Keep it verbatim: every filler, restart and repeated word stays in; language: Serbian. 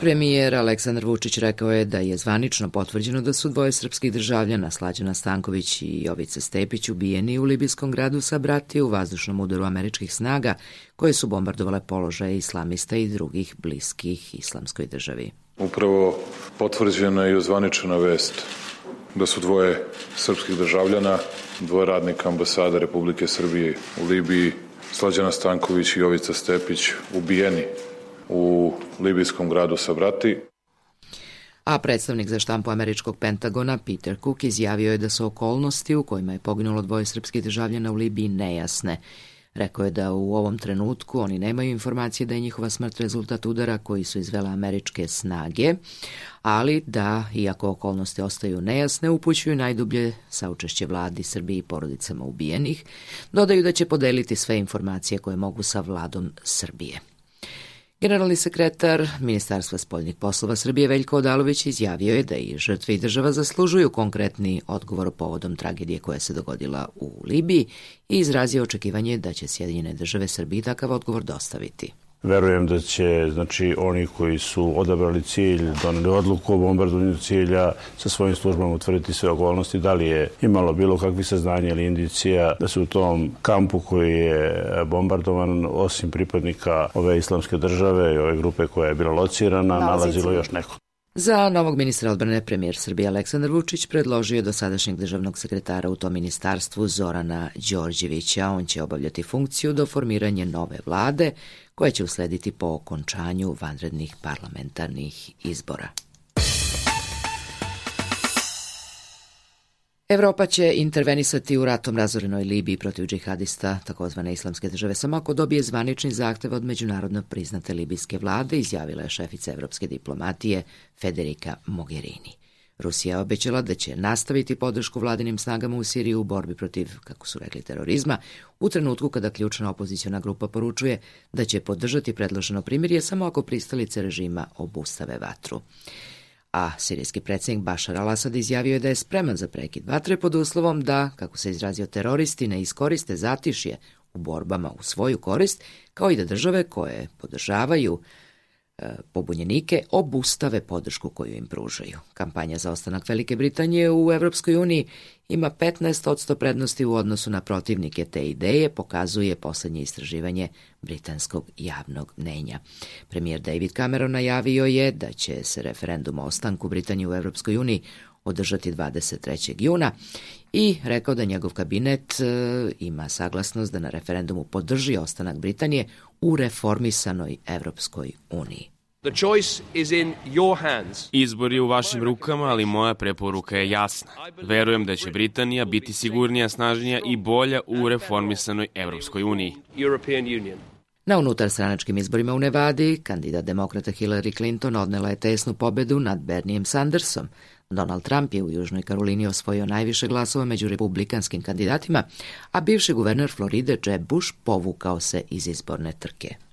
Premijer Aleksandar Vučić rekao je da je zvanično potvrđeno da su dvoje srpskih državljana, Slađana Stanković i Jovica Stepić, ubijeni u libijskom gradu Sabrati u vazdušnom udaru američkih snaga koje su bombardovale položaje islamista i drugih bliskih islamskoj državi. Upravo potvrđena i ozvaničena vest da su dvoje srpskih državljana, dvoje radnika ambasade Republike Srbije u Libiji, Slađana Stanković i Jovica Stepić, ubijeni u libijskom gradu Sabrati. A predstavnik za štampu američkog Pentagona Peter Cook izjavio je da su okolnosti u kojima je poginulo dvoje srpskih državljana u Libiji nejasne. Rekao je da u ovom trenutku oni nemaju informacije da je njihova smrt rezultat udara koji su izvele američke snage, ali da, iako okolnosti ostaju nejasne, upućuju najdublje saučešće vladi Srbije i porodicama ubijenih. Dodaju da će podeliti sve informacije koje mogu sa vladom Srbije. Generalni sekretar Ministarstva spoljnih poslova Srbije Veljko Odalović izjavio je da i žrtve i država zaslužuju konkretni odgovor povodom tragedije koja se dogodila u Libiji i izrazio očekivanje da će Sjedinjene države Srbiji takav odgovor dostaviti. Verujem da će, znači, oni koji su odabrali cilj, doneli odluku o bombardovanju cilja, sa svojim službama utvrditi sve okolnosti, da li je imalo bilo kakvih saznanja ili indicija da se u tom kampu koji je bombardovan, osim pripadnika ove islamske države i ove grupe koja je bila locirana, nalazilo još neko. Za novog ministra odbrane premijer Srbije Aleksandar Vučić predložio je dosadašnjeg državnog sekretara u tom ministarstvu Zorana Đorđevića. On će obavljati funkciju do formiranja nove vlade koja će uslediti po okončanju vanrednih parlamentarnih izbora. Evropa će intervenisati u ratom razorenoj Libiji protiv džihadista takozvane islamske države samo ako dobije zvanični zahtev od međunarodno priznate libijske vlade, izjavila je šefica evropske diplomatije Federica Mogherini. Rusija je obećala da će nastaviti podršku vladinim snagama u Siriji u borbi protiv, kako su rekli, terorizma, u trenutku kada ključna opoziciona grupa poručuje da će podržati predloženo primirje samo ako pristalice režima obustave vatru. A sirijski predsjednik Bašar al-Asad izjavio je da je spreman za prekid vatre pod uslovom da, kako se izrazio, teroristi ne iskoriste zatišje u borbama u svoju korist, kao i da države koje podržavaju e, pobunjenike obustave podršku koju im pružaju. Kampanja za ostanak Velike Britanije u Evropskoj uniji ima petnaest posto prednosti u odnosu na protivnike te ideje, pokazuje poslednje istraživanje britanskog javnog mnenja. Premijer David Cameron najavio je da će se referendum o ostanku Britanije u Evropskoj uniji održati dvadeset trećeg juna i rekao da njegov kabinet e, ima saglasnost da na referendumu podrži ostanak Britanije u reformisanoj Evropskoj uniji. The choice is in your hands. Izbor je u vašim rukama, ali moja preporuka je jasna. Verujem da će Britanija biti sigurnija, snažnija i bolja u reformisanoj Evropskoj uniji. European Union. Na unutarstranačkim izborima u Nevadi, kandidat demokrata Hillary Clinton odnela je tesnu pobedu nad Bernijem Sandersom. Donald Trump je u Južnoj Karolini osvojio najviše glasova među republikanskim kandidatima, a bivši guverner Floride Jeb Bush povukao se iz izborne trke.